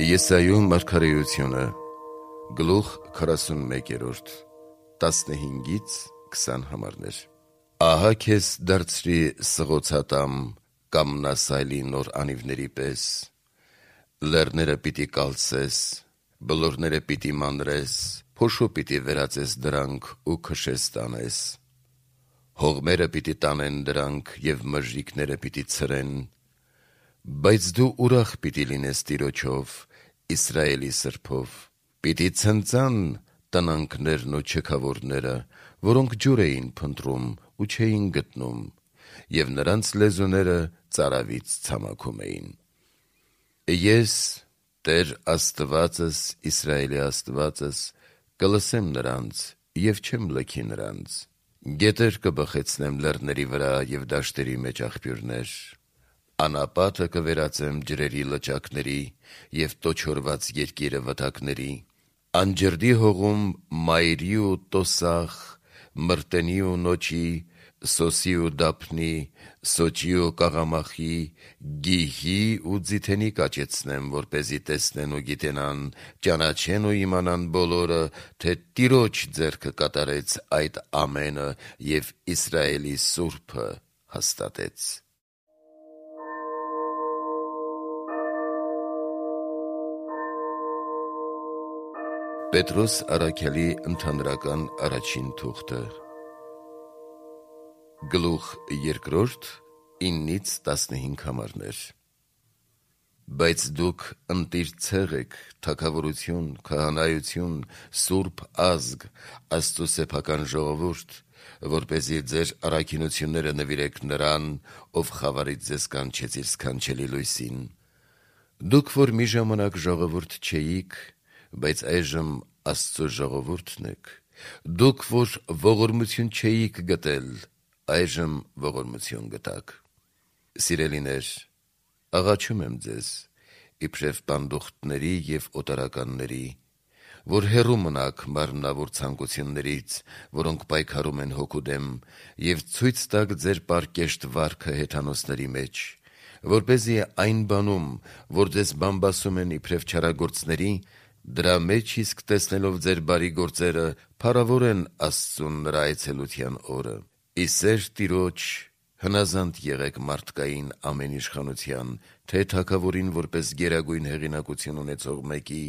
Եսայու մարգարեությունը գլուխ 41 15-ից 20 համարներ։ Ահա քեզ դարձրի սղոցատամ կամնասայլի նոր անիվների պես, լեռները պիտի կալցես, բլորները պիտի մանրես, փոշու պիտի վերածես դրանք ու քշես տանես, հողմերը պիտի տանեն դրանք և մժրիկները պիտի ցրեն, բայց դու ուրախ պիտի լինես Տիրոջով, Իսրայելի սրբով, պիտի ցնծան տնանքներն ու չքավորները, որոնք ջուր էին փնտրում ու չէին գտնում, և նրանց լեզուները ծարավից ցամաքում էին։ Ես, Տեր Աստվածս, Իսրայելի Աստվածս, կլսեմ նրանց և չեմ լքի նրանց, գետեր կբխեցնեմ լեռների վրա և դաշտերի մեջ աղբյուրներ, անապատը կվերածեմ ջրերի լճակների և տոչորված երկիրը վտակների, անջրդի հողում մայրի ու տոսախ, մրտենի ու նոճի, սոսի ու դափնի, սոճի ու կաղամախի, գիհի ու ձիթենի կաճեցնեմ, որպեսզի տեսնեն ու գիտենան, ճանաչեն ու իմանան բոլորը, թե Տիրոջ ձեռքը կատարեց այդ ամենը և Իսրայելի Սուրբը հաստատեց։ Պետրոս առաքյալի ընդհանրական առաջին թուղթը գլուխ 2 9-15 համարներ։ Բայց դուք ընտիր ցեղ եք, թագավորություն, քահանայություն, սուրբ ազգ, Աստծու սեփական ժողովուրդ, որպեսզի ձեր առաքինությունները նվիրեք նրան, ով խավարից ձեզ կանչեց իր սքանչելի լույսին։ Դուք, որ մի ժամանակ ժողովուրդ չէիք, բայց այժմ Աստծու ժողովուրդն եք, դուք, որ ողորմություն չէիք գտել, այժմ ողորմություն գտաք։ Սիրելիներ, աղաչում եմ ձեզ, իբրև պանդուխտների և օտարականների, որ հեռու մնաք մարմնավոր ցանկություններից, որոնք պայքարում են հոգու դեմ, և ցույց տաք ձեր պարկեշտ վարքը հեթանոսների մեջ, որպեսզի այն բանում, որ ձեզ բամբասում են իբրև չարագործների, դրա մեջ իսկ տեսնելով ձեր բարի գործերը, փառավորեն Աստծուն նրա այցելության օրը։ Ի սեր Տիրոջ հնազանդ եղեք մարդկային ամեն իշխանության, թե թագավորին որպես գերագույն հեղինակություն ունեցող մեկի,